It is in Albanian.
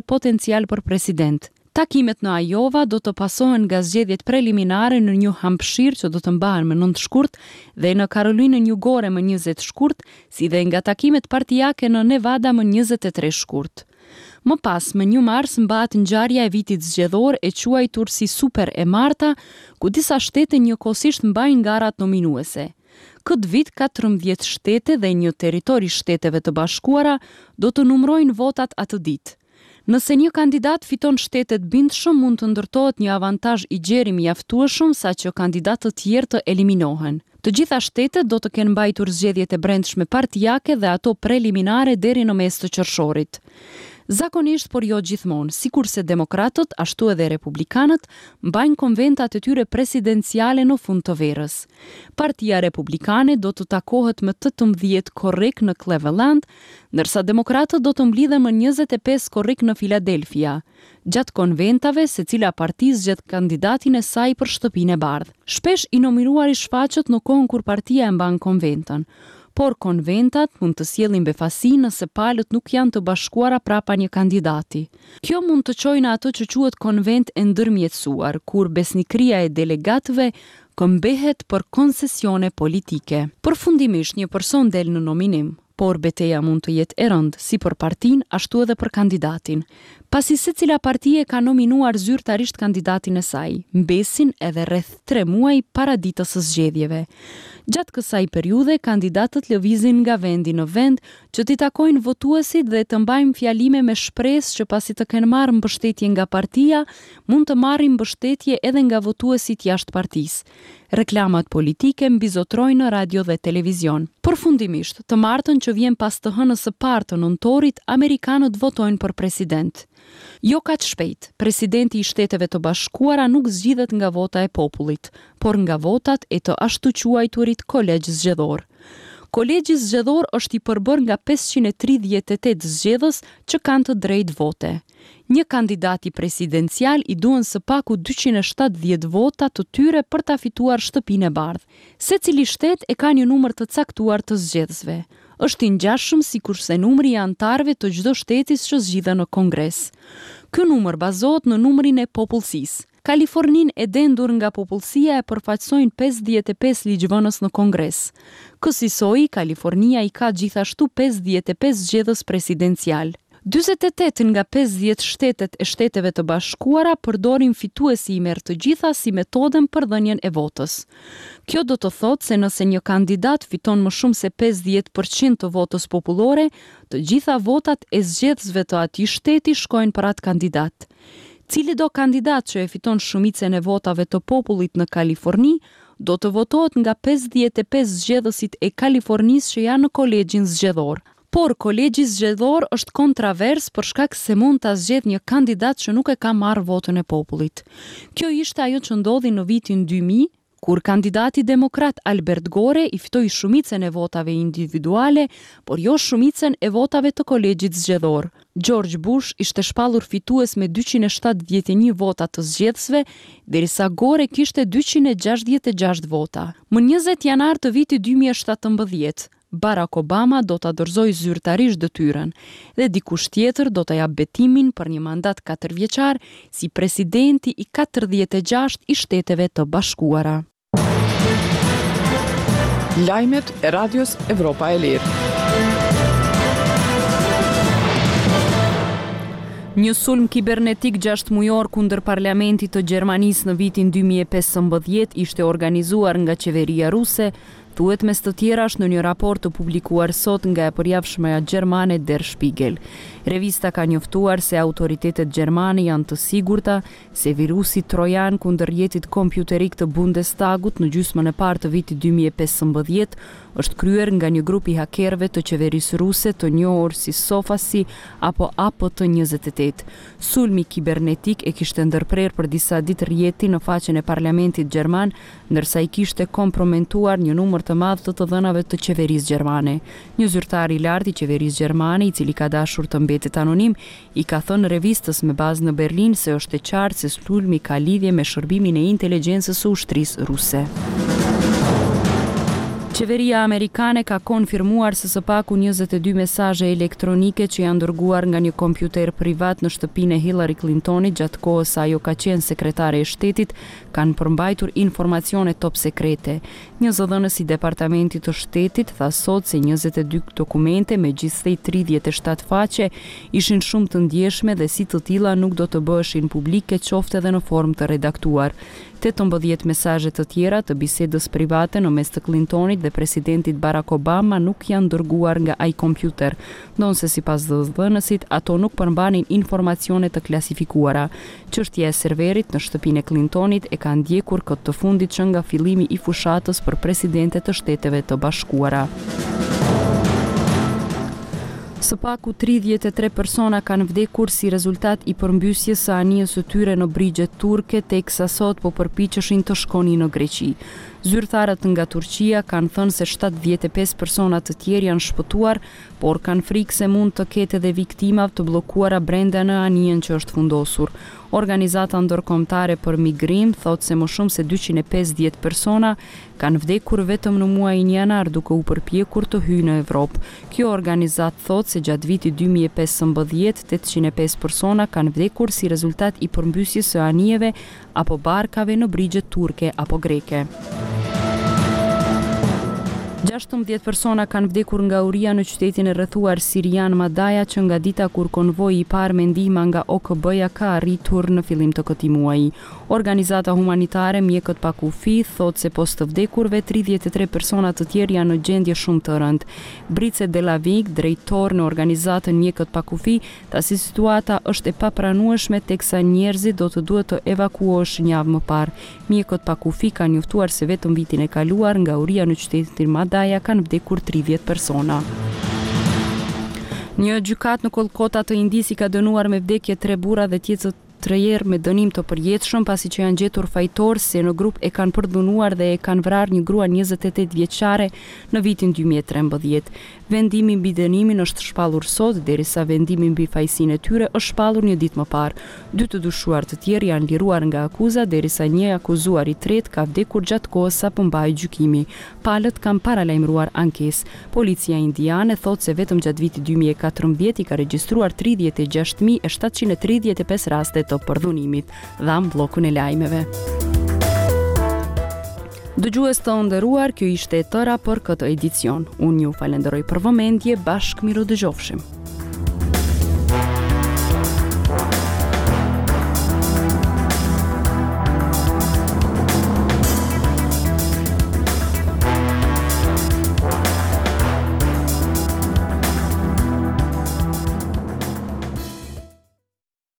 potencial për president. Takimet në Ajova do të pasohen nga zgjedhjet preliminare në Nju Hampshire që do të mbahen më 9 shkurt dhe në Karolinën Jugore më 20 shkurt, si dhe nga takimet partiake në Nevada më 23 shkurt. Më pas, më 1 mars mbahet ngjarja e vitit zgjedhor e quajtur si Super e Marta, ku disa shtete njëkohësisht mbajnë garat nominuese. Këtë vit 14 shtete dhe një territor i Shteteve të Bashkuara do të numërojnë votat atë ditë. Nëse një kandidat fiton shtetet bindshëm mund të ndërtohet një avantazh i gjerë i mjaftueshëm saqë kandidatët tjerë të eliminohen. Të gjitha shtetet do të kenë mbajtur zgjedhjet e brendshme partiake dhe ato preliminare deri në mes të qershorit. Zakonisht, por jo gjithmonë, sikurse demokratët, ashtu edhe republikanët, mbajnë konventat e tyre presidenciale në fund të verës. Partia Republikane do të takohet më 18 korrik në Cleveland, ndërsa demokratët do të mblidhen më 25 korrik në Philadelphia. Gjatë konventave, secila parti zgjedh kandidatin e saj për Shtëpinë e Bardhë. Shpesh i nominuari shfaqet në kohën kur partia e mban konventën. Por konventat mund të sjellin befasi nëse palët nuk janë të bashkuara prapa një kandidati. Kjo mund të çojë në atë që quhet konventë e ndërmjetësuar, kur besnikëria e delegatëve këmbehet për koncesione politike. Përfundimisht një person del në nominim, por beteja mund të jetë e rëndë, si për partinë, ashtu edhe për kandidatin. Pasi secila parti e ka nominuar zyrtarisht kandidatin e saj, mbesin edhe rreth tre muaj para ditës së zgjedhjeve. Gjatë kësaj periudhe, kandidatët lëvizin nga vendi në vend që t'i takojnë votuesit dhe të mbajnë fjalime me shpresë që pasi të kenë marrë mbështetje nga partia, mund të marrin mbështetje edhe nga votuesit jashtë partisë. Reklamat politike mbizotrojnë në radio dhe televizion. Përfundimisht, të martën që vjen pas të hënës së parë të nëntorit, amerikanët votojnë për president. Jo kaq shpejt, presidenti i Shteteve të Bashkuara nuk zgjidhet nga vota e popullit, por nga votat e të ashtuquajturit kolegj zgjedhor. Kolegji zgjedhor është i përbërë nga 538 zgjedhës që kanë të drejtë vote. Një kandidati presidencial i duhen së paku 270 vota të tyre për ta fituar Shtëpinë e Bardhë. Secili shtet e ka një numër të caktuar të zgjedhësve. Është i ngjashëm sikurse numri i anëtarëve të çdo shteti që zgjidhen në Kongres. Ky numër bazohet në numrin e popullsisë. Kaliforninë e dendur nga popullsia e përfaqësojnë 55 ligjvënës në Kongres. Kësisoj, Kalifornia i ka gjithashtu 55 zgjedhës presidencial. 48 nga 50 shtetet e Shteteve të Bashkuara përdorin fituesi i merr të gjitha si metodën për dhënien e votës. Kjo do të thotë se nëse një kandidat fiton më shumë se 50% të votës popullore, të gjitha votat e zgjedhësve të atij shteti shkojnë për atë kandidat. Cilido kandidat që e fiton shumicën e votave të popullit në Kaliforni, do të votohet nga 55 zgjedhësit e Kalifornisë që janë në kolegjin zgjedhor. Por kolegji zgjedhor është kontravers për shkak se mund ta zgjedh një kandidat që nuk e ka marrë votën e popullit. Kjo ishte ajo që ndodhi në vitin 2000, kur kandidati demokrat Albert Gore i fitoi shumicën e votave individuale, por jo shumicën e votave të kolegjit zgjedhor. George Bush ishte shpallur fitues me 271 vota të zgjedhësve, derisa Gore kishte 266 vota. Më 20 janar të vitit 2017, Barack Obama do ta dorëzojë zyrtarisht detyrën dhe dikush tjetër do ta japë betimin për një mandat katërvjeçar si presidenti i 46 i Shteteve të Bashkuara. Lajmet e Radios Evropa e Lirë. Një sulm kibernetik 6 mujor kundër parlamentit të Gjermanisë në vitin 2015 ishte organizuar nga qeveria ruse thuhet mes të tjerash në një raport të publikuar sot nga e përjavshmja gjermane Der Spiegel. Revista ka njoftuar se autoritetet gjermane janë të sigurta se virusi trojan kundër rrjetit kompjuterik të Bundestagut në gjysmën e parë të vitit 2015 është kryer nga një grup i hakerëve të qeverisë ruse të njohur si Sofacy apo APT28. Sulmi kibernetik e kishte ndërprerë për disa ditë rrjetin në faqen e parlamentit gjerman ndërsa i kishte kompromentuar një numër të madh të të dhënave të qeverisë gjermane. Një zyrtar i lartë i qeverisë gjermane, i cili ka dashur të mbetet anonim, i ka thënë revistës me bazë në Berlin se është e qartë se sulmi ka lidhje me shërbimin e inteligjencës së ushtrisë ruse. Qeveria amerikane ka konfirmuar se së paku 22 mesazhe elektronike që janë dërguar nga një kompjuter privat në shtëpinë e Hillary Clintonit gjatë kohës sa ajo ka qenë sekretare e shtetit kanë përmbajtur informacione top sekrete. Një zëdhënës i Departamentit të Shtetit tha sot se 22 dokumente me gjithsej 37 faqe ishin shumë të ndjeshme dhe si të tilla nuk do të bëheshin publike qoftë edhe në formë të redaktuar. 18 mesazhe të tjera të bisedës private në mes të Clintonit dhe presidentit Barack Obama nuk janë dërguar nga ai kompjuter, ndonëse sipas zëdhënësit ato nuk përmbanin informacione të klasifikuara. Çështja e serverit në shtëpinë e Clintonit e ka ndjekur këtë të fundit që nga fillimi i fushatës për presidente të Shteteve të Bashkuara. Së paku 33 persona kanë vdekur si rezultat i përmbysjes së anijes së tyre në brigjet turke, teksa sot po përpiqeshin të shkonin në Greqi. Zyrtarët nga Turqia kanë thënë se 75 persona të tjerë janë shpëtuar, por kanë frikë se mund të ketë edhe viktima të bllokuara brenda në anijen që është fundosur. Organizata Ndërkombëtare për Migrim thotë se më shumë se 250 persona kanë vdekur vetëm në muajin janar duke u përpjekur të hyjnë në Evropë. Kjo organizatë thotë se gjatë vitit 2015, 805 persona kanë vdekur si rezultat i përmbysjes së anijeve apo barkave në brigjet turke apo greke. 16 persona kanë vdekur nga uria në qytetin e rrethuar sirian Madaja që nga dita kur konvoi i parë me ndihma nga OKB-ja ka arritur në fillim të këtij muaji. Organizata humanitare Mjekët pa Kufi thotë se pos të vdekurve, 33 persona të tjerë janë në gjendje shumë të rëndë. Brice de la Vigne, drejtor në organizatën Mjekët pa Kufi, Tha se situata është e papranueshme teksa njerëzit do të duhet të evakuoheshin javë më parë. Mjekët pa Kufi kanë njoftuar se vetëm vitin e kaluar nga uria në qytetin Madaja kanë vdekur 30 persona. Një gjykatë në Kolkota të Indisë i ka dënuar me vdekje tre burra dhe tjetër tjerë me dënim të përjetshëm pasi që janë gjetur fajtorë se në grup e kanë përdhunuar dhe e kanë vrarë një grua 28 vjeçare në vitin 2013. Vendimi mbi dënimin është shpallur sot, derisa vendimi mbi fajësinë e tyre është shpallur një ditë më parë. Dy të dyshuar të tjerë janë liruar nga akuza, derisa një i akuzuar i tretë ka vdekur gjatë kohës sa po mbahej gjykimi. Palët kanë paralajmëruar ankesë. Policia indiane thotë se vetëm gjatë vitit 2014 i ka regjistruar 36.735 raste të përdhunimit. Dhamë bllokun e lajmeve. Dëgjues të nderuar, kjo ishte e tëra për këtë edicion. Unë ju falenderoj për vëmendje, bashkë mirudëgjofshim.